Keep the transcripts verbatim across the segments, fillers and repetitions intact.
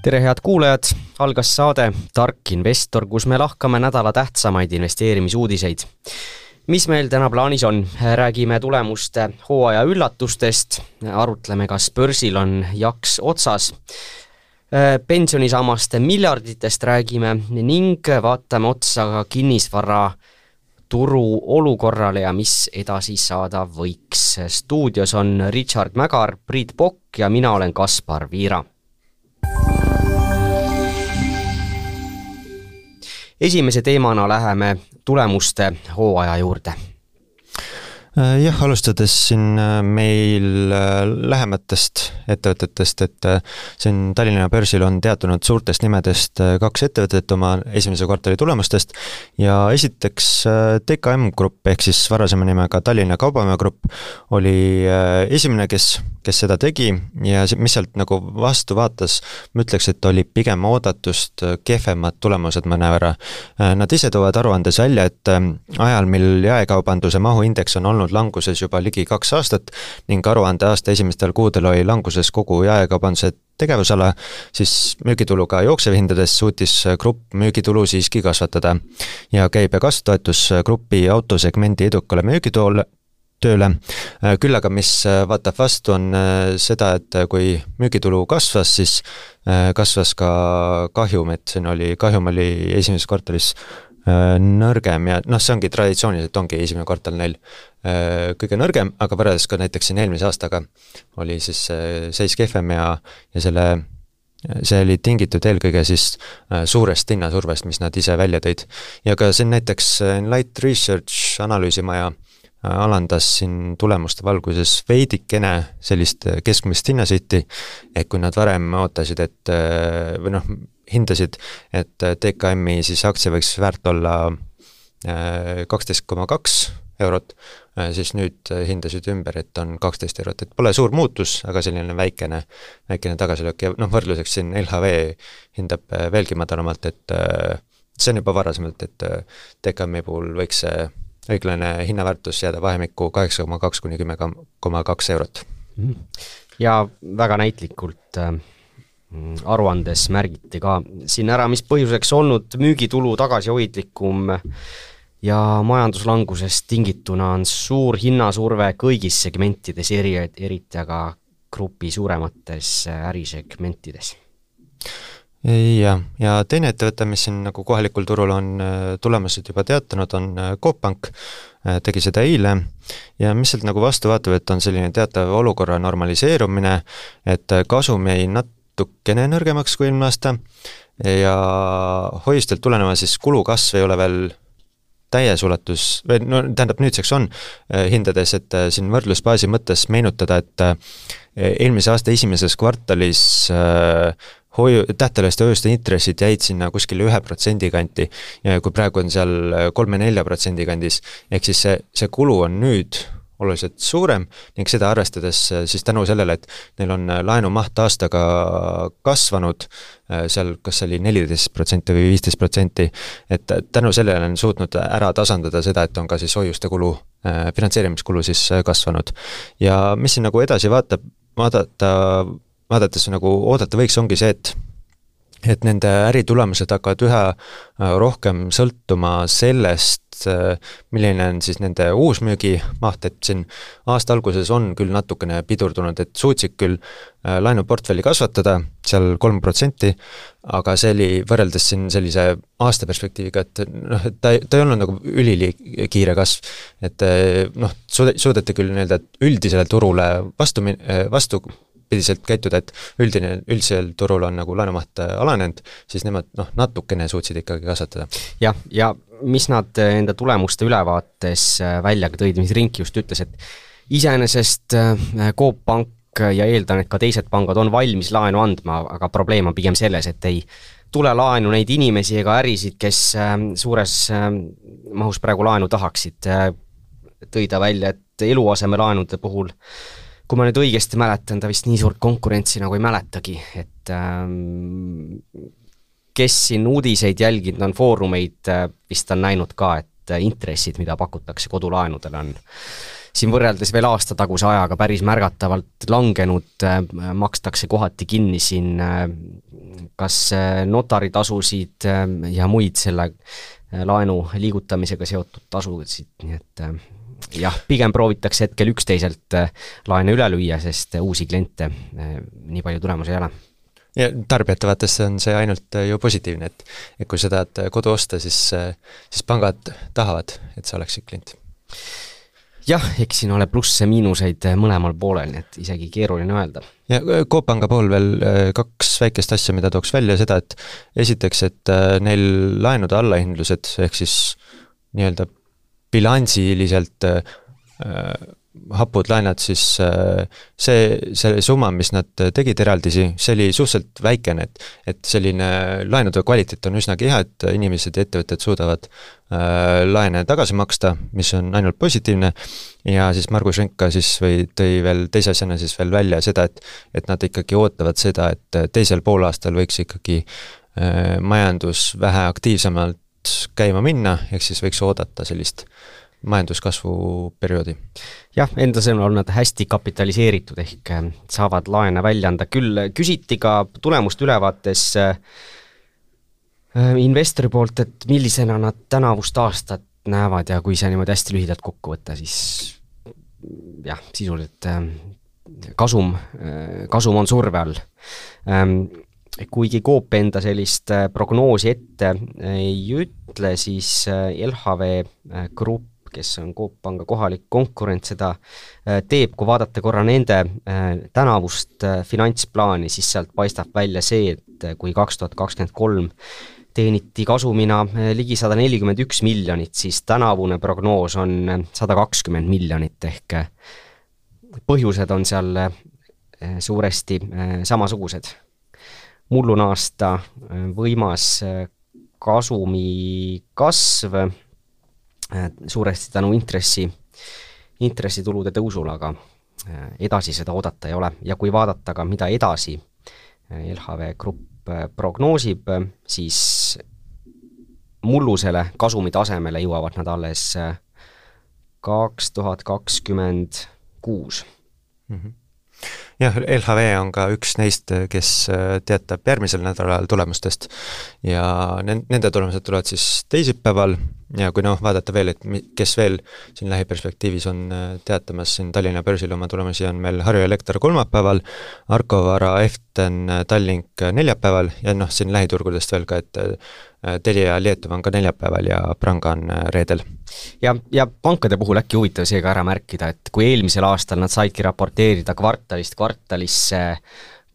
Tere head kuulajad, algas saade Tark Investor, kus me lahkame nädala tähtsamaid investeerimisuudiseid. Mis meil täna plaanis on? Räägime tulemuste hooaja üllatustest, arutleme, kas börsil on jaks otsas, pensionisamaste miljarditest räägime ning vaatame otsa ka kinnisvara turu olukorrale ja mis edasi saada võiks. Stuudios on Richard Mägar, Priit Pokk ja mina olen Kaspar Viira. Esimese teemana läheme tulemuste hooaja juurde. Jah, alustades siin meil lähematest ettevõtetest, et siin Tallinna börsil on teatunud suurtest nimedest kaks ettevõtet oma esimese kvartali tulemustest ja esiteks T K M Grupp ehk siis varasema nimega Tallinna Kaubamäe Grupp oli esimene, kes, kes seda tegi ja mis sealt nagu vastu vaatas, ma ütleks, et oli pigem oodatust kehvemad tulemused mõnevõrra. Nad ise toovad aruandes välja, et ajal, mil jaekaubanduse mahuindeks on olnud languses juba ligi kaks aastat ning aruande aasta esimestel kuudel oli languses kogu jaekaubanduse tegevusala, siis müügituluga jooksevhindades suutis grupp müügitulu siiski kasvatada ja käibe kasv toetus grupi autosegmendi edukale müügitoole tööle. Küll aga mis vaatab vastu on seda, et kui müügitulu kasvas, siis kasvas ka kahjum, et siin oli, kahjum oli esimeses kvartalis nõrgem ja noh, see ongi traditsiooniliselt ongi esimene kvartal neil kõige nõrgem, aga võrreldes ka näiteks siin eelmise aastaga oli siis seis kehvem ja, ja selle, see oli tingitud eelkõige siis suurest hinnasurvest, mis nad ise välja tõid. Ja ka siin näiteks Light Research analüüsimaja alandas siin tulemuste valguses veidikene sellist keskmist hinnasihti, et kui nad varem ootasid, et või noh, hindasid, et T K M-i siis aktsia võiks väärt olla kaksteist koma kaks eurot, siis nüüd hindasid ümber, et on kaksteist eurot, et pole suur muutus, aga selline väikene, väikene tagasilöök ja noh, võrdluseks siin L H V hindab veelgi madalamalt, et see on juba varasemalt, et T K M-i puhul võiks see õiglane hinnaväärtus jääda vahemikku kaheksa koma kaks kuni kümme koma kaks eurot. Ja väga näitlikult aruandes märgiti ka siin ära, mis põhjuseks olnud müügitulu tagasihoidlikum ja majanduslangusest tingituna on suur hinnasurve kõigis segmentides, eri, eriti aga grupi suuremates ärisegmentides. Ja, ja teine ettevõte, mis siin nagu kohalikul turul on tulemused juba teatanud, on Coop Pank, tegi seda eile ja mis sealt nagu vastu vaatab, et on selline teatav olukorra normaliseerumine, et kasum jäi natukene nõrgemaks kui eelmine aasta ja hoiustelt tuleneva siis kulukasv ei ole veel täies ulatus, või no tähendab nüüdseks on hindades, et siin võrdlusbaasi mõttes meenutada, et eelmise aasta esimeses kvartalis hoiu, tähteliste hoiuste intressid jäid sinna kuskil ühe protsendi kanti ja kui praegu on seal kolme-nelja protsendi kandis, ehk siis see, see kulu on nüüd oluliselt suurem ning seda arvestades siis tänu sellele, et neil on laenu maht aastaga kasvanud, seal kas oli neliteist protsenti või viisteist protsenti, et tänu sellele on suutnud ära tasandada seda, et on ka siis hoiuste kulu, finantseerimiskulu siis kasvanud. Ja mis siin nagu edasi vaatab, vaadata, vaadates nagu oodata võiks ongi see, et et nende äritulemused hakkavad üha rohkem sõltuma sellest, milline on siis nende uusmüügi maht, et siin aasta alguses on küll natukene pidurdunud, et suutsid küll laenuportfelli kasvatada, seal kolm protsenti, aga see oli võrreldes siin sellise aasta perspektiiviga, et noh, et ta, ta ei olnud nagu ülikiire kasv, et noh, suudeti küll nii-öelda üldisele turule vastu, vastu pidiselt käituda, et üldine, üldisel turul on nagu laenumaht alanenud, siis nemad noh, natukene suutsid ikkagi kasvatada. Ja, ja mis nad enda tulemuste ülevaates välja tõid, mis Rink just ütles, et iseenesest Coop Pank ja eeldan, et ka teised pangad on valmis laenu andma, aga probleem on pigem selles, et ei tule laenu neid inimesi ega ärisid, kes suures mahus praegu laenu tahaksid. Tõida välja, et eluaseme laenude puhul kui ma nüüd õigesti mäletan, ta vist nii suurt konkurentsi nagu ei mäletagi, et ähm, kes siin uudiseid jälginud on foorumeid, vist on näinud ka, et intressid, mida pakutakse kodulaenudele on siin võrreldes veel aasta taguse ajaga päris märgatavalt langenud, makstakse kohati kinni siin kas notaritasusid ja muid selle laenu liigutamisega seotud tasusid, nii et jah, pigem proovitakse hetkel üksteiselt laene üle lüüa, sest uusi kliente nii palju tulemus ei ole. Ja tarbijate vaates on see ainult ju positiivne, et, et kui sa tahad kodu osta, siis, siis pangad tahavad, et sa oleksid klient. Jah, eks siin ole plusse miinuseid mõlemal poolel, nii et isegi keeruline öelda. Ja Coop Panga pool veel kaks väikest asja, mida tooks välja seda, et esiteks, et neil laenude allahindlused, ehk siis nii-öelda bilansiliselt äh, hapud laenad, siis äh, see, see summa, mis nad tegid eraldisi, see oli suhteliselt väikene, et, et selline laenude kvaliteet on üsnagi hea, et inimesed ja ettevõtted suudavad äh, laene tagasi maksta, mis on ainult positiivne, ja siis Margus Renka siis või tõi veel teise asjana siis veel välja seda, et, et nad ikkagi ootavad seda, et teisel poolaastal võiks ikkagi äh, majandus vähe aktiivsemalt käima minna, ehk siis võiks oodata sellist majanduskasvu perioodi. Jah, enda sõnul on nad hästi kapitaliseeritud, ehk saavad laene välja anda. Küll küsiti ka tulemust ülevaates investori poolt, et millisena nad tänavust aastat näevad ja kui see niimoodi hästi lühidalt kokku võtta, siis jah, sisuliselt kasum, kasum on surve all. Kuigi Coop enda sellist prognoosi ette ei ütle, siis L H V Grupp, kes on Coop Panga kohalik konkurent, seda teeb, kui vaadata korra nende tänavust finantsplaani, siis sealt paistab välja see, et kui kaks tuhat kakskümmend kolm teeniti kasumina ligi sada nelikümmend üks miljonit, siis tänavune prognoos on sada kakskümmend miljonit, ehk põhjused on seal suuresti samasugused. Mullun aasta võimas kasumi kasv suuresti tänu intressi, intressitulude tõusul, aga edasi seda oodata ei ole. Ja kui vaadata ka, mida edasi L H V Grupp prognoosib, siis mullusele kasumi tasemele jõuavad nad alles kaks tuhat kakskümmend kuus. Mm-hmm. Jah, L H V on ka üks neist, kes teatab järgmisel nädalal tulemustest ja nende tulemused tulevad siis teisipäeval ja kui noh, vaadata veel, et kes veel siin lähiperspektiivis on teatamas siin Tallinna börsil oma tulemusi, on meil Harju Elekter kolmapäeval, Arko Vara, Eften, Tallink neljapäeval ja noh, siin lähiturgudest veel ka, et Telia Lietuvá on ka neljapäeval ja Pranga on reedel. Ja, ja pankade puhul äkki huvitav seega ära märkida, et kui eelmisel aastal nad saidki raporteerida kvartalist kvartalisse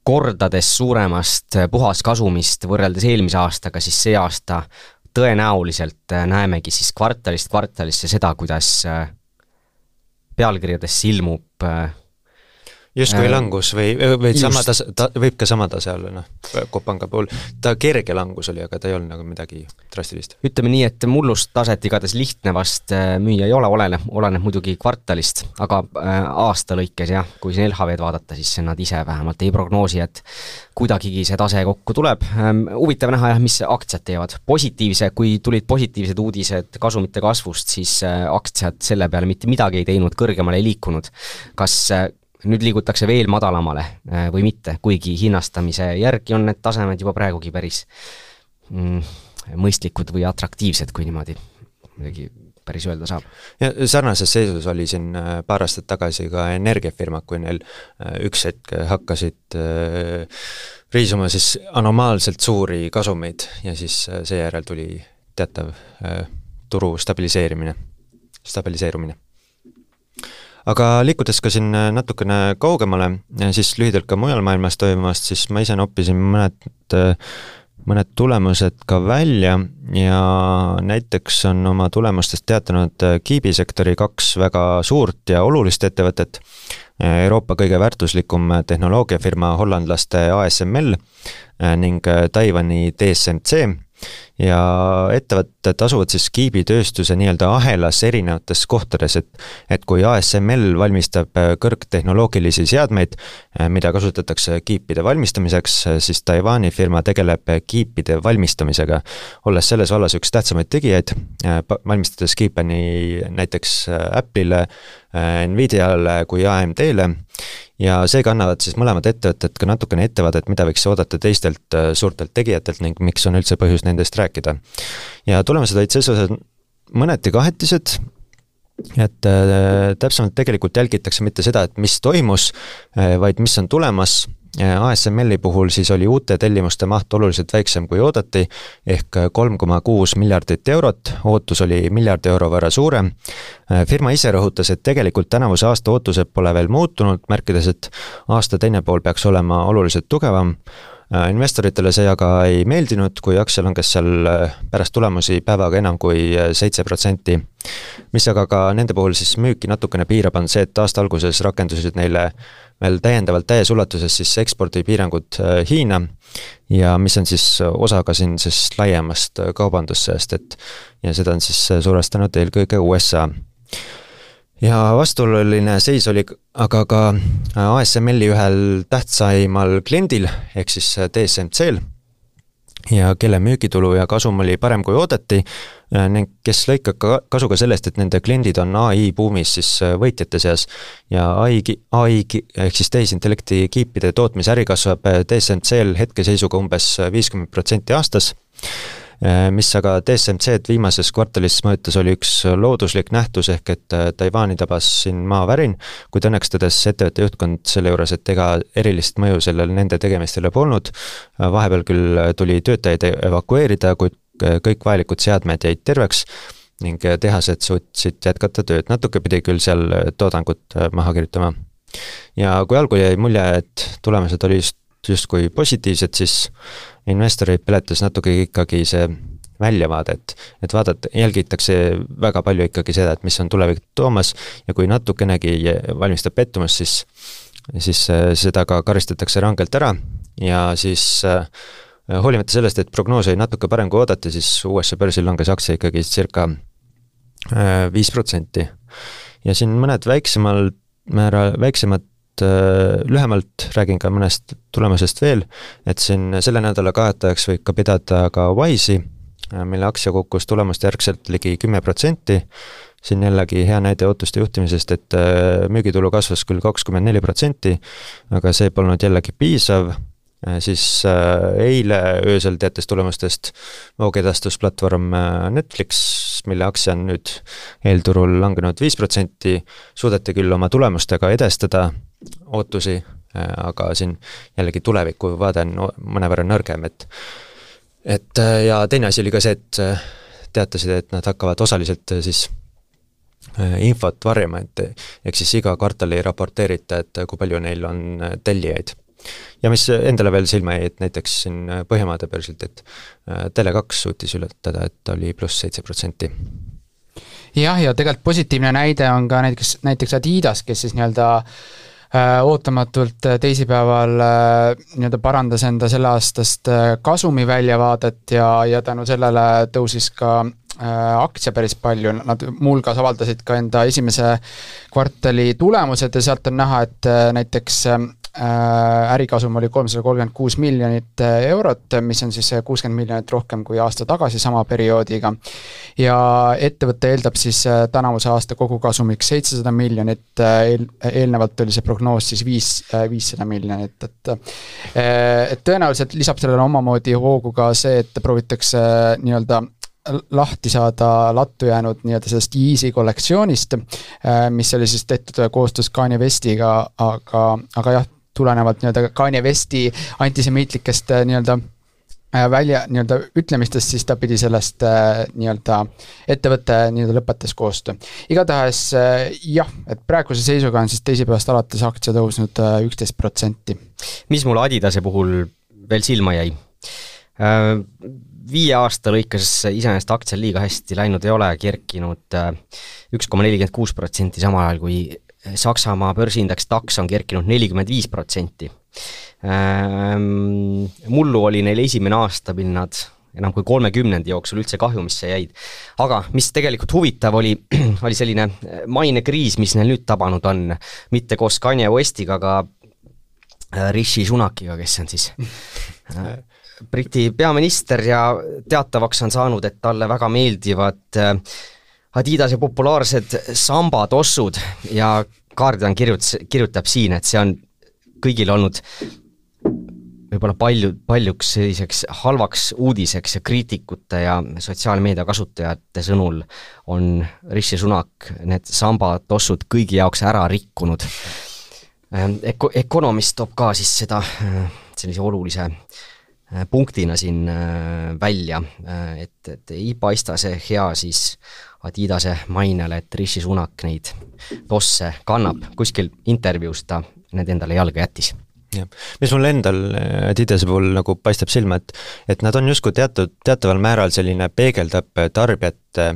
kordades suuremast puhaskasumist võrreldes eelmise aastaga, siis see aasta tõenäoliselt näemegi siis kvartalist kvartalisse seda, kuidas pealkirjades ilmub justkui langus või, või sama tase, ta, võib ka sama tase olla, noh, Coop Panga puhul. Ta kerge langus oli, aga ta ei olnud nagu midagi drastilist. Ütleme nii, et mullust taset igatahes lihtne vast müüa ei ole, oleneb, oleneb muidugi kvartalist, aga aasta lõikes jah, kui siin L H V-d vaadata, siis nad ise vähemalt ei prognoosi, et kuidagigi see tase kokku tuleb. Huvitav näha jah, mis aktsiad teevad. Positiivse, kui tulid positiivsed uudised kasumite kasvust, siis aktsiad selle peale mitte midagi ei teinud, kõrgemale ei liikunud. Kas nüüd liigutakse veel madalamale või mitte, kuigi hinnastamise järgi on need tasemed juba praegugi päris mm, mõistlikud või atraktiivsed, kui niimoodi midagi päris öelda saab. Ja sarnases seisus oli siin paar aastat tagasi ka energiafirma, kui neil üks hetk hakkasid riisuma siis anomaalselt suuri kasumeid ja siis seejärel tuli teatav turu stabiliseerimine, stabiliseerumine. Aga liikudes ka siin natukene kaugemale, siis lühidalt ka mujal maailmas toimumast, siis ma ise noppisin mõned, mõned tulemused ka välja ja näiteks on oma tulemustest teatanud kiibisektori kaks väga suurt ja olulist ettevõtet. Euroopa kõige väärtuslikum tehnoloogiafirma hollandlaste A S M L ning Taiwani T S M C. ja ettevõtted asuvad siis kiibitööstuse nii-öelda ahelas erinevates kohtades, et et kui A S M L valmistab kõrgtehnoloogilisi seadmeid, mida kasutatakse kiipide valmistamiseks, siis Taiwani firma tegeleb kiipide valmistamisega, olles selles vallas üks tähtsamaid tegijaid, valmistades kiipe nii näiteks Apple'ile, Nvidiale kui A M D-le, ja seega annavad siis mõlemad ettevõtted ka natukene ettevaadet, mida võiks oodata teistelt suurtelt tegijatelt ning miks on üldse põhjus nendest rääkida. Ja tulemused olid selles osas mõneti kahetised, et äh, täpsemalt tegelikult jälgitakse mitte seda, et mis toimus, äh, vaid mis on tulemas. A S M L-i puhul siis oli uute tellimuste maht oluliselt väiksem kui oodati, ehk kolm koma kuus miljardit eurot, ootus oli miljardi euro võrra suurem. Firma ise rõhutas, et tegelikult tänavuse aasta ootused pole veel muutunud, märkides, et aasta teine pool peaks olema oluliselt tugevam. Investoritele see aga ei meeldinud, kui aktsia langes seal pärast tulemusi päevaga enam kui seitse protsenti. Mis aga ka nende puhul siis müüki natukene piirab on see, et aasta alguses rakendusid neile veel täiendavalt täies ulatuses siis ekspordipiirangud Hiina ja mis on siis osa ka siin siis laiemast kaubandussõjast, et ja seda on siis suurestanud eelkõige U S A. Ja vastuoluline seis oli aga ka A S M L-i ühel tähtsaimal kliendil, ehk siis T S M C-l, ja kelle müügitulu ja kasum oli parem kui oodati, ning kes lõikab ka kasu ka sellest, et nende kliendid on A I buumis siis võitjate seas ja A I, A I ehk siis tehisintellekti kiipide tootmisäri kasvab T S M C-l hetkeseisuga umbes viiskümmend protsenti aastas, mis aga T S M C-d viimases kvartalis mõjutas oli üks looduslik nähtus, ehk et Taiwani tabas siin maavärin, kuid õnneks tõdes ettevõtte juhtkond selle juures, et ega erilist mõju sellel nende tegemistele polnud. Vahepeal küll tuli töötajaid evakueerida, kuid kõik vajalikud seadmed jäid terveks ning tehased suutsid jätkata tööd. Natuke pidi küll seal toodangut maha kirjutama. Ja kui algul jäi mulje, et tulemused oli just, just kui positiivsed, siis investoreid peletas natuke ikkagi see väljavaade, et, et vaadata, jälgitakse väga palju ikkagi seda, et mis on tulevik toomas ja kui natukenegi valmistab pettumus, siis, siis seda ka karistatakse rangelt ära ja siis hoolimata sellest, et prognoos oli natuke parem kui oodati, siis U S A börsil langes aktsia ikkagi circa viis protsenti. Ja siin mõned väiksemal määra, väiksemad lühemalt räägin ka mõnest tulemusest veel, et siin selle nädala kaotajaks võib ka pidada ka Wise'i, mille aktsia kukkus tulemuste järgselt ligi kümme protsenti. Siin jällegi hea näide ootuste juhtimisest, et müügitulu kasvas küll kakskümmend neli protsenti, aga see polnud jällegi piisav. Siis eile öösel teates tulemustest voogedastusplatvorm Netflix, mille aktsia on nüüd eelturul langenud viis protsenti, suudeti küll oma tulemustega edestada ootusi, aga siin jällegi tuleviku vaade on mõnevõrra nõrgem, et et ja teine asi oli ka see, et teatasid, et nad hakkavad osaliselt siis infot varjama, et ehk siis iga kvartal ei raporteerita, et kui palju neil on tellijaid. Ja mis endale veel silma jäi, et näiteks siin Põhjamaade börsilt, et Tele kaks suutis ületada, et oli pluss seitse protsenti. Jah, ja tegelikult positiivne näide on ka näiteks, näiteks Adidas, kes siis nii-öelda ootamatult teisipäeval nii-öelda parandas enda selle aastast kasumi väljavaadet ja, ja tänu sellele tõusis ka aktsia päris palju, nad mulgas avaldasid ka enda esimese kvartali tulemused ja sealt on näha, et näiteks ärikasum oli kolmsada kolmkümmend kuus miljonit eurot, mis on siis kuuskümmend miljonit rohkem kui aasta tagasi sama perioodiga. Ja ettevõte eeldab siis tänavuse aasta kogukasumiks seitsesada miljonit, eel, eelnevalt oli see prognoos siis viis, viissada miljonit, et, et tõenäoliselt lisab sellele omamoodi hoogu ka see, et proovitakse nii-öelda lahti saada lattu jäänud nii-öelda sellest Yeezy kollektsioonist, mis oli siis tehtud koostöös Kanye Westiga, aga, aga jah, tulenevalt nii-öelda Kanye Westi antisemiitlikest nii-öelda välja nii-öelda ütlemistest, siis ta pidi sellest nii-öelda ettevõtte nii-öelda lõpetas koostöö. Igatahes jah, et praeguse seisuga on siis teisipäevast alates aktsia tõusnud üksteist protsenti. Mis mul Adidase puhul veel silma jäi? Viie aasta lõikes iseenesest aktsial liiga hästi läinud ei ole, kerkinud üks koma nelikümmend kuus protsenti samal ajal kui Saksamaa börsiindeks DAX on kerkinud nelikümmend viis protsenti. Mullu oli neil esimene aasta, mil nad enam kui kolmekümnendi jooksul üldse kahjumisse jäid. Aga mis tegelikult huvitav oli, oli selline mainekriis, mis neil nüüd tabanud on, mitte koos Kanye Westiga, aga Rishi Sunakiga, kes on siis Briti peaminister ja teatavaks on saanud, et talle väga meeldivad Adidase populaarsed sambatossud ja Guardian kirjutas, kirjutab siin, et see on kõigil olnud võib-olla palju, paljuks selliseks halvaks uudiseks ja kriitikute ja sotsiaalmeedia kasutajate sõnul on Rishi Sunak need sambatossud kõigi jaoks ära rikkunud. Eko, Economist toob ka siis seda sellise olulise punktina siin välja, et, et ei paista see hea siis Adidase mainele, et Rishi Sunak neid tosse kannab. Kuskil intervjuus ta need endale jalga jättis. Ja. Mis mul endal Adidase puhul nagu paistab silma, et, et nad on justkui teatud, teataval määral selline peegeldab tarbijate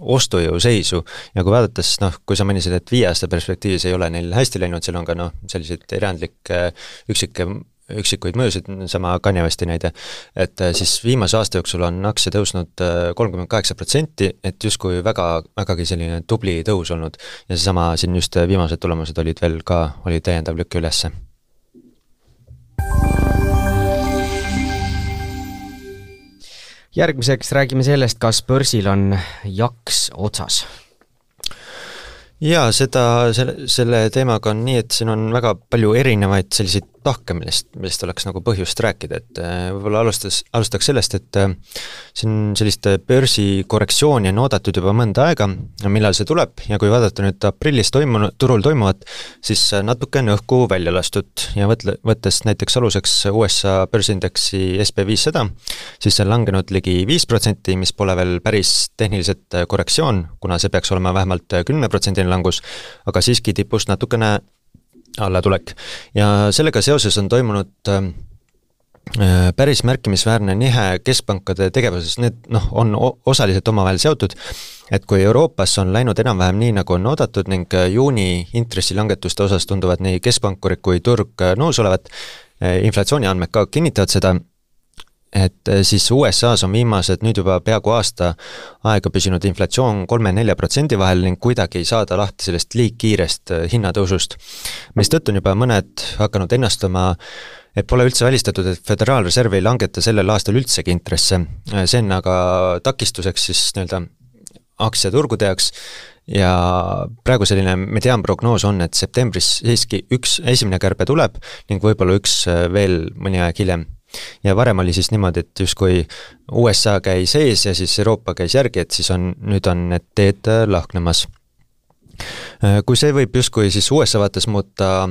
ostujõu seisu ja kui vaadates, noh, kui sa mõnisid, et viie aasta perspektiivis ei ole neil hästi läinud, seal on ka noh, selliseid erandlikke üksike üksikuid mõjusid, sama Kanye Westi näide, et siis viimase aasta jooksul on aktsia tõusnud kolmkümmend kaheksa protsenti, et justkui väga, vägagi selline tubli tõus olnud ja seesama siin just viimased tulemused olid veel ka, oli täiendav lükk ülesse. Järgmiseks räägime sellest, kas börsil on jaks otsas. Jaa, seda, selle, selle teemaga on nii, et siin on väga palju erinevaid selliseid tahke, millest, millest oleks nagu põhjust rääkida, et võib-olla alustas, alustaks sellest, et siin sellist börsi korrektsiooni on oodatud juba mõnda aega, millal see tuleb ja kui vaadata nüüd aprillis toimunud, turul toimuvat, siis natuke on õhku välja lastud ja võtle, võttes näiteks aluseks U S A börsindeksi S P viissada, siis see on langenud ligi viis protsenti, mis pole veel päris tehniliselt korrektsioon, kuna see peaks olema vähemalt kümme protsenti langus, aga siiski tipust natukene allatulek. Ja sellega seoses on toimunud äh, päris märkimisväärne nihe keskpankade tegevuses, need noh, on osaliselt omavahel seotud, et kui Euroopas on läinud enam-vähem nii, nagu on oodatud ning juuni intressilangetuste osas tunduvad nii keskpankurid kui turg nõus olevat, inflatsiooni andmed ka kinnitavad seda, et siis U S A-s on viimased nüüd juba peaaegu aasta aega püsinud inflatsioon kolme-nelja protsendi vahel ning kuidagi ei saada lahti sellest liigkiirest hinnatõusust, mis tõttu on juba mõned hakanud ennastama, et pole üldse välistatud, et Föderaalreserv ei langeta sellel aastal üldsegi intresse. See on aga takistuseks siis nii-öelda aktsiaturgude jaoks ja praegu selline mediaanprognoos on, et septembris siiski üks esimene kärbe tuleb ning võib-olla üks veel mõni aeg hiljem. Ja varem oli siis niimoodi, et justkui U S A käis ees ja siis Euroopa käis järgi, et siis on, nüüd on need teed lahknemas. Kui see võib justkui siis U S A vaates muuta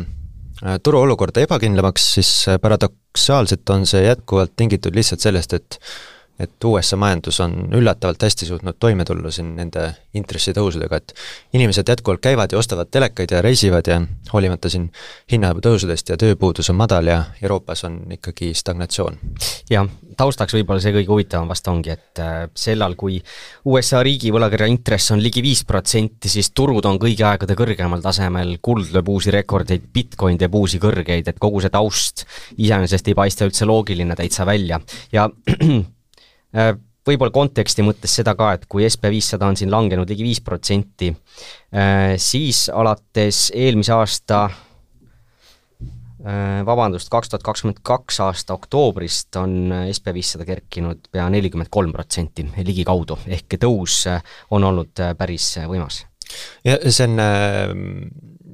turu olukorda ebakindlamaks, siis paradoksaalselt on see jätkuvalt tingitud lihtsalt sellest, et et U S A majandus on üllatavalt hästi suutnud toime tulla siin nende intressitõusudega, et inimesed jätkuvalt käivad ja ostavad telekaid ja reisivad ja hoolimata siin hinnatõusudest ja tööpuudus on madal ja Euroopas on ikkagi stagnatsioon. Ja taustaks võib-olla see kõige huvitavam vast ongi, et sellal, kui U S A riigi võlakirja intress on ligi viis protsenti, siis turud on kõigi aegade kõrgemal tasemel, kuld lööb uusi rekordeid, Bitcoin teeb uusi kõrgeid, et kogu see taust iseenesest ei paista üldse loogiline täitsa välja ja võib-olla konteksti mõttes seda ka, et kui S P viissada on siin langenud ligi viis protsenti, siis alates eelmise aasta, vabandust, kaks tuhat kakskümmend kaks aasta oktoobrist on S P viissada kerkinud pea nelikümmend kolm protsenti ligi kaudu, ehk tõus on olnud päris võimas. Ja see on,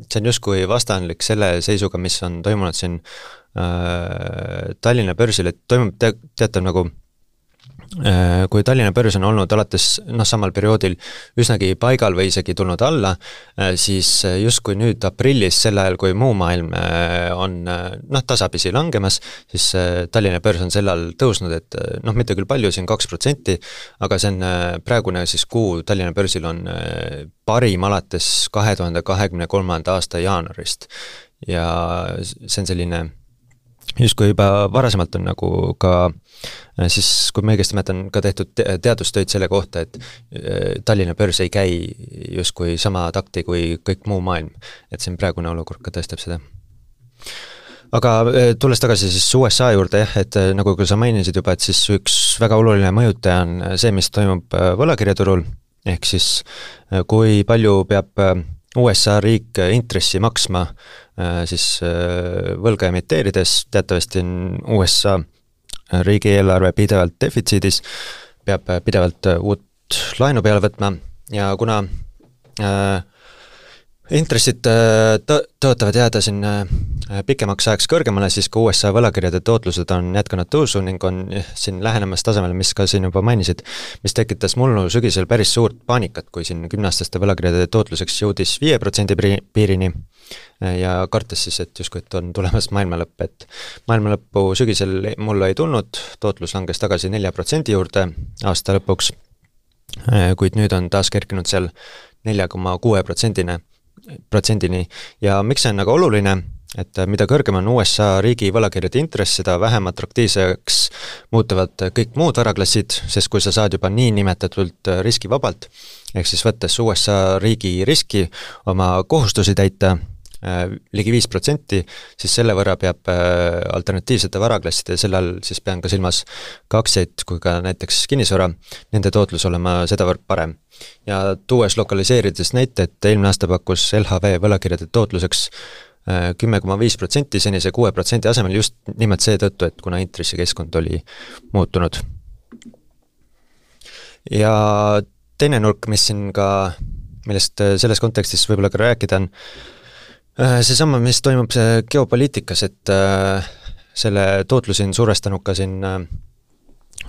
see on justkui vastanlik selle seisuga, mis on toimunud siin äh, Tallinna börsil, et toimub te, teatav nagu kui Tallinna börs on olnud alates noh, samal perioodil üsnagi paigal või isegi tulnud alla, siis justkui nüüd aprillis, sel ajal kui muu maailm on noh, tasapisi langemas, siis Tallinna börs on sel ajal tõusnud, et noh, mitte küll palju, siin kaks protsenti, aga see on praegune siis kuu Tallinna börsil on parim alates kahe tuhande kahekümne kolmanda aasta jaanuarist ja see on selline justkui juba varasemalt on nagu ka siis, kui ma õigesti mäletan, ka tehtud teadustöid selle kohta, et Tallinna börs ei käi justkui sama takti kui kõik muu maailm, et siin praegune olukord ka tõestab seda. aga tulles tagasi siis U S A juurde jah, et nagu sa mainisid juba, et siis üks väga oluline mõjutaja on see, mis toimub võlakirjaturul, ehk siis kui palju peab U S A riik intressi maksma siis võlga emiteerides, teatavasti on U S A riigieelarve pidevalt defitsiidis, peab pidevalt uut laenu peale võtma ja kuna äh, intressid tõ- tõotavad jääda siin pikemaks ajaks kõrgemale, siis ka U S A võlakirjade tootlused on jätkanud tõusu ning on siin lähenemas tasemele, mis ka siin juba mainisid, mis tekitas mullu sügisel päris suurt paanikat, kui siin kümneaastaste võlakirjade tootluseks jõudis viie protsendi piirini ja kartes siis, et justkui, et on tulemas maailmalõpp, et maailmalõppu sügisel mullu ei tulnud, tootlus langes tagasi nelja protsendi juurde aasta lõpuks, kuid nüüd on taas kerkinud seal nelja koma kuue protsendine protsendini ja miks see on nagu oluline, et mida kõrgem on U S A riigi võlakirjade intress, seda vähem atraktiivseks muutuvad kõik muud varaklassid, sest kui sa saad juba nii nimetatult riskivabalt, ehk siis võttes U S A riigi riski oma kohustusi täita ligi viis protsenti, siis selle võrra peab alternatiivsete varaklasside, selle all siis pean ka silmas ka aktsiaid kui ka näiteks kinnisvara, nende tootlus olema sedavõrd parem. Ja tuues lokaliseerides näite, et eelmine aasta pakkus L H V võlakirjade tootluseks kümme koma viis protsenti senise kuue protsendi asemel just nimelt seetõttu, et kuna intressikeskkond oli muutunud. Ja teine nurk, mis siin ka, millest selles kontekstis võib-olla ka rääkida on, seesama, mis toimub see geopoliitikas, et selle tootlusi on suurestanud ka siin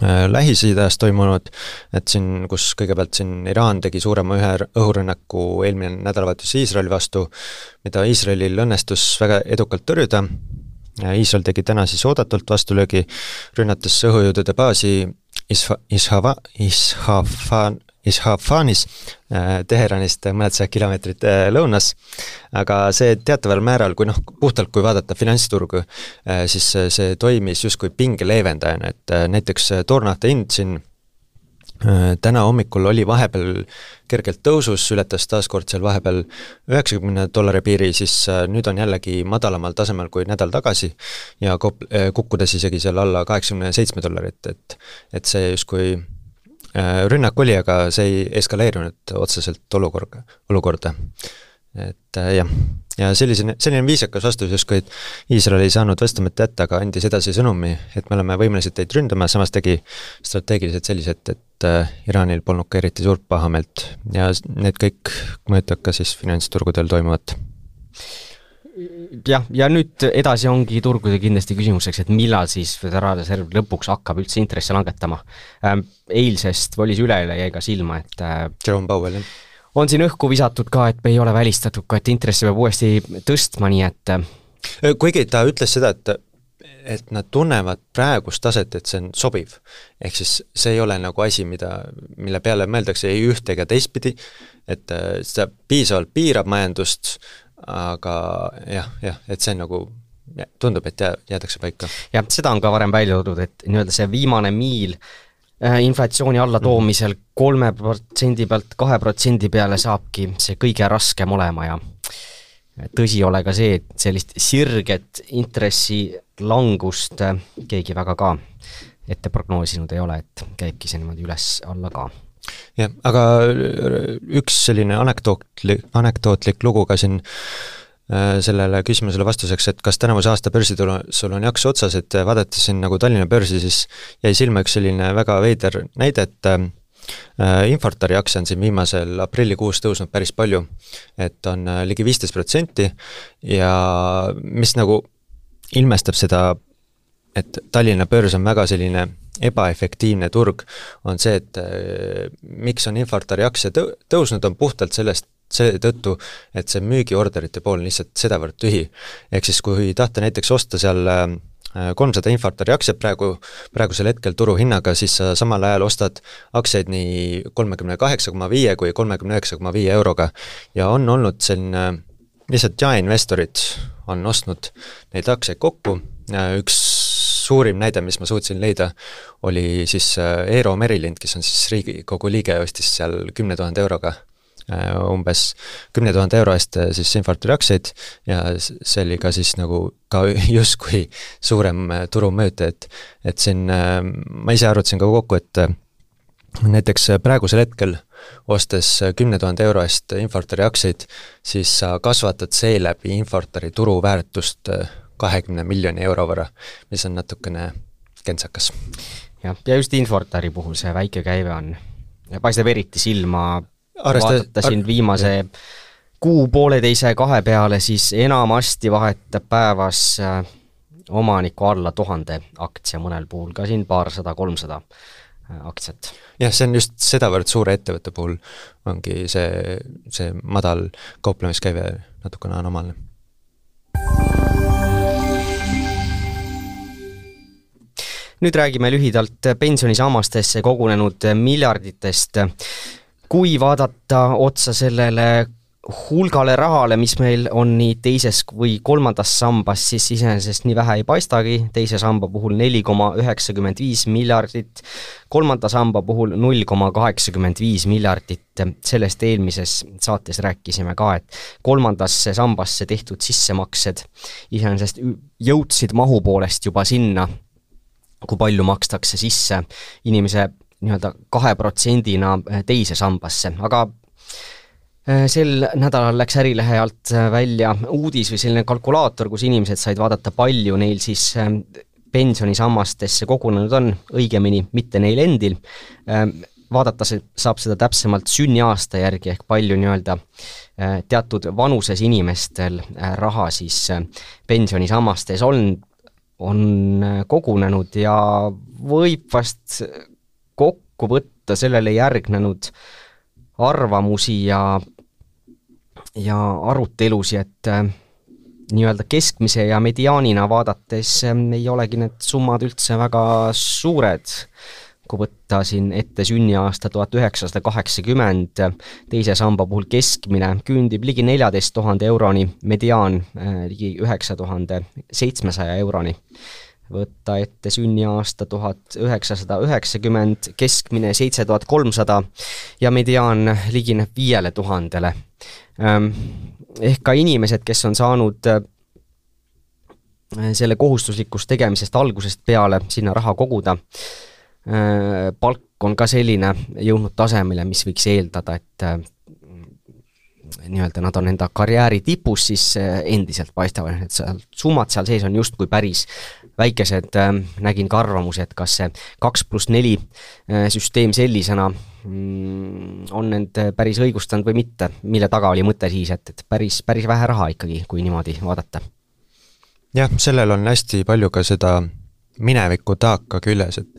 Lähis-Idas toimunud, et siin, kus kõigepealt siin Iraan tegi suurema ühe õhurünnaku eelmine nädalavahetus Iisraeli vastu, mida Iisraelil õnnestus väga edukalt tõrjuda. Iisrael tegi täna siis oodatult vastulöögi, rünnates õhujõudude baasi Isha, Ishava, Ishafan, Ishafanis Teheranist mõned sajad kilomeetrit lõunas, aga see teataval määral, kui noh, puhtalt kui vaadata finantsturgu, siis see toimis justkui pinge leevendajana, et näiteks toornafta hind siin täna hommikul oli vahepeal kergelt tõusus, ületas taaskord seal vahepeal üheksakümne dollari piiri, siis nüüd on jällegi madalamal tasemel kui nädal tagasi ja kukkudes isegi seal alla kaheksakümne seitsme dollarit, et, et see justkui rünnak oli, aga see ei eskaleerunud otseselt olukorda, olukorda. Et jah, ja selline, selline viisakas vastus justkui, et Iisrael ei saanud vastamata jätta, aga andis edasi sõnumi, et me oleme võimelised teid ründama, samas tegi strateegiliselt sellised, et Iraanil polnud ka eriti suurt pahameelt ja need kõik mõjutab ka siis finantsturgudel toimuvat. jah, ja nüüd edasi ongi turgude kindlasti küsimuseks, et millal siis Föderaalreserv lõpuks hakkab üldse intresse langetama. Eilsest või oli see üleüle jäi ka silma, et Jerome Powell, jah. On siin õhku visatud ka, et ei ole välistatud ka, et intressi peab uuesti tõstma, nii et kuigi ta ütles seda, et et nad tunnevad praegust taset, et see on sobiv. Ehk siis see ei ole nagu asi, mida, mille peale mõeldakse ei ühte ega teistpidi, et seda piisavalt piirab majandust, aga jah, jah, et see on nagu, tundub, et jäädakse paika. jah, seda on ka varem välja toodud, et nii-öelda see viimane miil inflatsiooni alla toomisel kolme protsendi pealt kahe protsendi peale saabki see kõige raskem olema ja tõsi ole ka see, et sellist sirget intressi langust keegi väga ka ette prognoosinud ei ole, et käibki see niimoodi üles alla ka. jah, aga üks selline anekdootlik, anekdootlik lugu ka siin sellele küsimusele vastuseks, et kas tänavuse aasta börsitul sul on jaksu otsas, et vaadates siin nagu Tallinna börsi, siis jäi silma üks selline väga veider näide, et Infortari aktsia on siin viimasel aprillikuus tõusnud päris palju, et on ligi viisteist protsenti ja mis nagu ilmestab seda, et Tallinna börs on väga selline ebaefektiivne turg, on see, et miks on Infortari aktsia tõusnud, on puhtalt sellest see tõttu, et see müügiorderite pool on lihtsalt sedavõrd tühi. Ehk siis kui tahta näiteks osta seal kolmsada Infortari aktsiat praegu, praegusel hetkel turuhinnaga, siis sa samal ajal ostad aktsiaid nii kolmekümne kaheksa koma viie kui kolmekümne üheksa koma viie euroga ja on olnud selline, lihtsalt jaeinvestorid on ostnud neid aktsiaid kokku, üks suurim näide, mis ma suutsin leida, oli siis Eero Merilind, kes on siis Riigikogu liige, ostis seal kümne tuhande euroga umbes kümne tuhande euro eest siis Infortari aktsiaid ja see oli ka siis nagu ka justkui suurem turumööt, et et siin ma ise arvutasin ka kokku, et näiteks praegusel hetkel ostes kümne tuhande euro eest Infortari aktsiaid, siis sa kasvatad seeläbi Infortari turuväärtust kahekümne miljoni euro võrra, mis on natukene kentsakas. jah, ja just Infortari puhul see väike käive on, paistab eriti silma, Arvesta, vaadatasin ar viimase jah. kuu pooleteise kahe peale, siis enamasti vahetab päevas omaniku alla tuhande aktsia, mõnel puhul ka siin paarsada, kolmsada aktsiat. jah, see on just sedavõrd suure ettevõtte puhul ongi see, see madal kauplemiskäive natukene anomaalne. Nüüd räägime lühidalt pensionisammastesse kogunenud miljarditest. Kui vaadata otsa sellele hulgale rahale, mis meil on nii teises või kolmandas sambas, siis iseenesest nii vähe ei paistagi, teise samba puhul neli koma üheksakümmend viis miljardit, kolmanda samba puhul null koma kaheksakümmend viis miljardit. Sellest eelmises saates rääkisime ka, et kolmandasse sambasse tehtud sissemaksed iseenesest jõudsid mahu poolest juba sinna, kui palju makstakse sisse inimese nii-öelda kahe protsendina teise sambasse, aga sel nädalal läks Ärilehe alt välja uudis või selline kalkulaator, kus inimesed said vaadata, palju neil siis pensionisammastesse kogunenud on, õigemini mitte neil endil. Vaadata saab seda täpsemalt sünniaasta järgi, ehk palju nii-öelda teatud vanuses inimestel raha siis pensionisammastes on, on kogunenud ja võib vast kokku võtta sellele järgnenud arvamusi ja, ja arutelusi, et nii-öelda keskmise ja mediaanina vaadates ei olegi need summad üldse väga suured. Kui võtta siin ette sünniaasta tuhat üheksasada kaheksakümmend, teise samba puhul keskmine küündib ligi neljateist tuhande euroni, mediaan ligi üheksa tuhande seitsmesaja euroni. Võtta ette sünniaasta tuhat üheksasada üheksakümmend, keskmine seitse tuhat kolmsada ja mediaan ligineb viiele tuhandele. Ehk ka inimesed, kes on saanud selle kohustuslikust tegemisest algusest peale sinna raha koguda, palk on ka selline jõudnud tasemele, mis võiks eeldada, et nii-öelda nad on enda karjääri tipus, siis endiselt paistavad, et seal summad seal sees on justkui päris väikesed. Nägin ka arvamusi, et kas see kaks pluss neli süsteem sellisena on end päris õigustanud või mitte, mille taga oli mõte siis, et, et päris, päris vähe raha ikkagi, kui niimoodi vaadata. Jah, sellel on hästi palju ka seda mineviku taaka küljes, et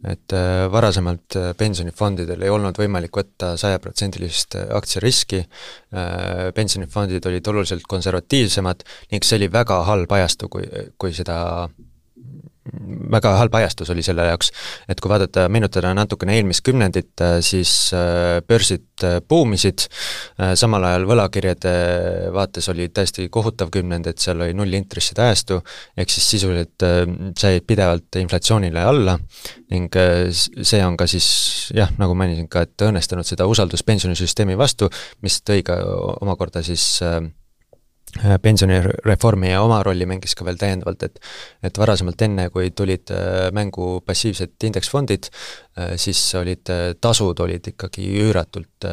et varasemalt pensionifondidel ei olnud võimalik võtta sajaprotsendilist aktsiariski, pensionifondid olid oluliselt konservatiivsemad ning see oli väga halb ajastu, kui, kui seda väga halb ajastus oli selle jaoks, et kui vaadata, meenutada natukene eelmist kümnendit, siis börsid buumisid, samal ajal võlakirjade vaates oli täiesti kohutav kümnend, et seal oli null intresside ajastu, ehk siis sisuliselt jäid pidevalt inflatsioonile alla ning see on ka siis, jah, nagu mainisin ka, et õnnestanud seda usalduspensionisüsteemi vastu, mis tõi ka omakorda siis pensionireformi ja oma rolli mängis ka veel täiendavalt, et et varasemalt enne, kui tulid mängu passiivsed indeksfondid, siis olid tasud olid ikkagi üüratult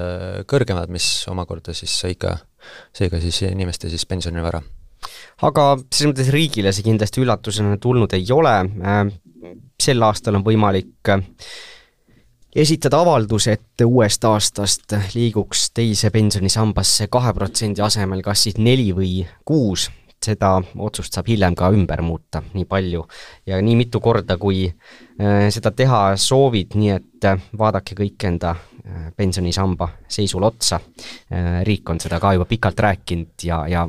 kõrgemad, mis omakorda siis sai ka, sai ka siis inimeste siis pensionivara. Aga selles mõttes riigile see kindlasti üllatusena tulnud ei ole. Sel aastal on võimalik esitada avaldus, et uuest aastast liiguks teise pensionisambasse kahe protsendi asemel kas siis neli või kuus. Seda otsust saab hiljem ka ümber muuta nii palju ja nii mitu korda, kui seda teha soovid, nii et vaadake kõik enda pensionisamba seisul otsa. Riik on seda ka juba pikalt rääkinud ja, ja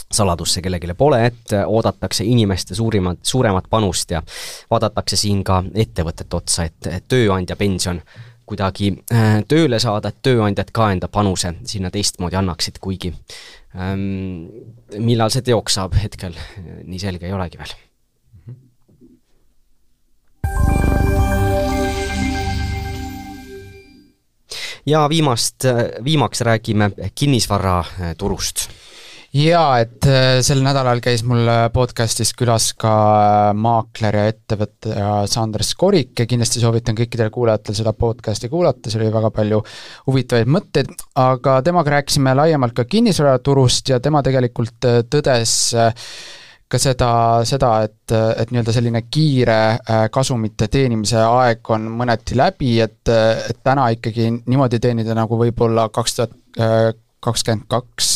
saladusse kellegile pole, et oodatakse inimeste suurimat, suuremat panust ja vaadatakse siin ka ettevõtet otsa, et tööandja pension kuidagi tööle saada, et tööandjad ka enda panuse sinna teistmoodi annaksid, kuigi ähm, millal see teoks saab hetkel, nii selge ei olegi veel. ja viimast, viimaks räägime kinnisvara turust. Jaa, et sel nädalal käis mul podcastis külas ka maakler ja ettevõtja Sander Skorik ja kindlasti soovitan kõikidel kuulajatel seda podcasti kuulata, see oli väga palju huvitavaid mõtteid, aga temaga rääkisime laiemalt ka kinnisvaraturust ja tema tegelikult tõdes ka seda, seda et, et nii-öelda selline kiire kasumite teenimise aeg on mõneti läbi, et, et täna ikkagi niimoodi teenida nagu võib-olla kaks tuhat kakskümmend kaks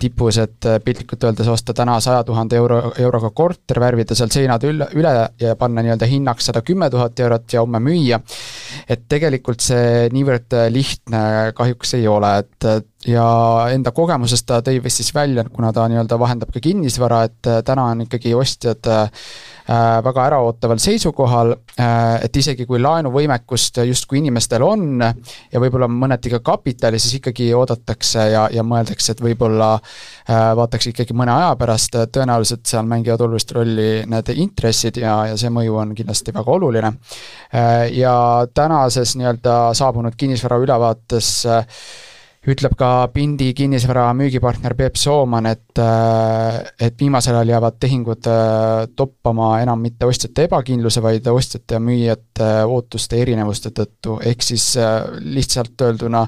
tipus, et piltlikult öeldes osta täna saja tuhande euro, euroga korter, värvida seal seinad üle, üle ja panna nii-öelda hinnaks sada kümme tuhat eurot ja homme müüa. Et tegelikult see niivõrd lihtne kahjuks ei ole, et ja enda kogemusest ta tõi vist siis välja, kuna ta nii-öelda vahendab ka kinnisvara, et täna on ikkagi ostjad väga äraootaval seisukohal, et isegi kui laenuvõimekust justkui inimestel on ja võib-olla mõneti ka kapitali, siis ikkagi oodatakse ja, ja mõeldakse, et võib-olla vaataks ikkagi mõne aja pärast, tõenäoliselt seal mängivad olulist rolli need intressid ja, ja see mõju on kindlasti väga oluline. Ja tänases nii-öelda saabunud kinnisvara ülevaates ütleb ka Pindi kinnisvara müügipartner Peep Sooman, et, et viimasel ajal jäävad tehingud toppama enam mitte ostjate ebakindluse, vaid ostjate ja müüjate ootuste erinevuste tõttu, ehk siis lihtsalt öelduna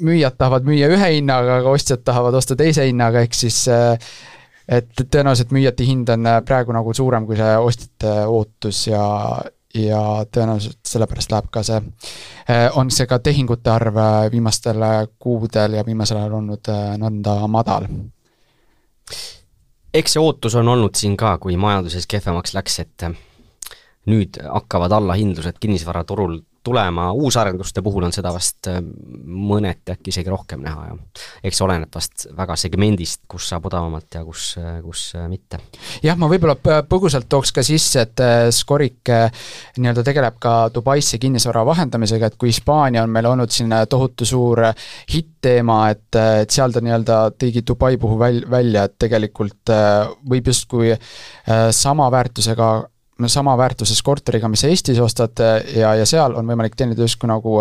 müüjad tahavad müüa ühe hinnaga, aga ostjad tahavad osta teise hinnaga, ehk siis et tõenäoliselt müüjate hind on praegu nagu suurem kui see ostjate ootus ja ja tõenäoliselt sellepärast läheb ka see, on see ka tehingute arv viimastel kuudel ja viimasel ajal olnud nõnda madal. Eks see ootus on olnud siin ka, kui majanduses kehvemaks läks, et nüüd hakkavad allahindlused kinnisvaraturul tulema, uusarenduste puhul on seda vast mõneti äkki isegi rohkem näha ja eks oleneb vast väga segmendist, kus saab odavamalt ja kus, kus mitte. Jah, ma võib-olla põgusalt tooks ka sisse, et Skorik nii-öelda tegeleb ka Dubaisse kinnisvara vahendamisega, et kui Hispaania on meil olnud siin tohutu suur hitt-teema, et, et seal ta nii-öelda tõigi Dubai puhul väl, välja, et tegelikult võib justkui sama väärtusega sama väärtuses korteriga, mis Eestis ostad ja, ja seal on võimalik teenida justkui nagu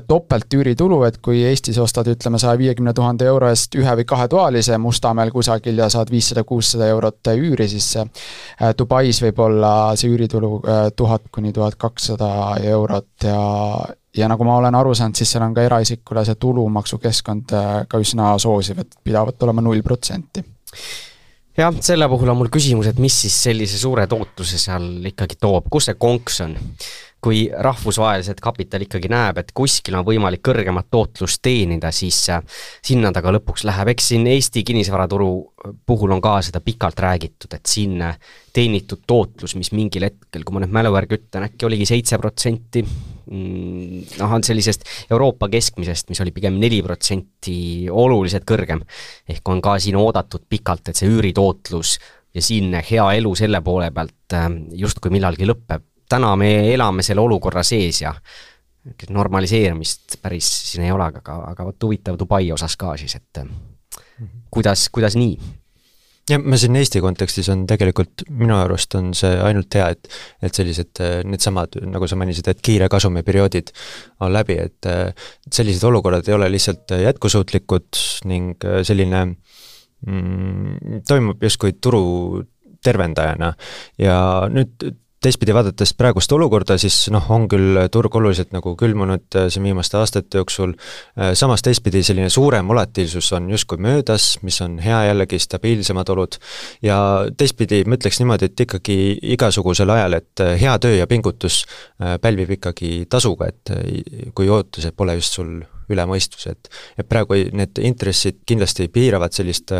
topelt üüritulu, et kui Eestis ostad, ütleme, saja viiekümne tuhande euro eest ühe või kahe toalise Mustamäel kusagil ja saad viissada kuussada eurot üüri, siis Dubais võib olla see üüritulu tuhat kuni tuhat kakssada eurot ja ja nagu ma olen aru saanud, siis seal on ka eraisikule see tulumaksukeskkond ka üsna soosiv, et pidavat olema null protsenti. Jah, selle puhul on mul küsimus, et mis siis sellise suure tootluse seal ikkagi toob, kus see konks on? Kui rahvusvaheliselt kapital ikkagi näeb, et kuskil on võimalik kõrgemat tootlust teenida, siis sinna taga lõpuks läheb. Eks siin Eesti kinnisvaraturu puhul on ka seda pikalt räägitud, et siin teenitud tootlus, mis mingil hetkel, kui ma nüüd mäluvärgi ütlen, äkki oligi seitse protsenti, noh, on sellisest Euroopa keskmisest, mis oli pigem neli protsenti oluliselt kõrgem. Ehk on ka siin oodatud pikalt, et see üüritootlus ja siin hea elu selle poole pealt justkui millalgi lõpeb. Täna me elame selle olukorra sees ja normaliseerimist päris siin ei ole, aga, aga võt huvitav Dubai osas ka siis, et kuidas, kuidas nii? Ja ma siin Eesti kontekstis on tegelikult, minu arust on see ainult hea, et, et sellised need samad, nagu sa mainisid, et kiire kasumiperioodid on läbi, et sellised olukorrad ei ole lihtsalt jätkusuutlikud ning selline mm, toimub justkui turu tervendajana ja nüüd teistpidi vaadates praegust olukorda, siis noh, on küll turg oluliselt nagu külmunud siin viimaste aastate jooksul, samas teistpidi selline suurem volatiilsus on justkui möödas, mis on hea jällegi stabiilsemad olud ja teistpidi ma ütleks niimoodi, et ikkagi igasugusel ajal, et hea töö ja pingutus pälvib ikkagi tasuga, et kui ootused pole just sul üle mõistus, et, et praegu need intressid kindlasti piiravad sellist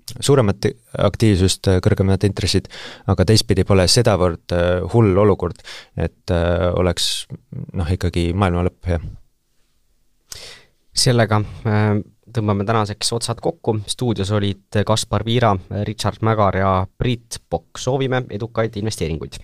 suuremat aktiivsust, kõrgemad intressid, aga teistpidi pole sedavõrd hull olukord, et oleks noh, ikkagi maailma lõpp hea. Sellega tõmbame tänaseks otsad kokku. Stuudios olid Kaspar Viira, Richard Mägar ja Priit Pokk. Soovime edukaid investeeringuid!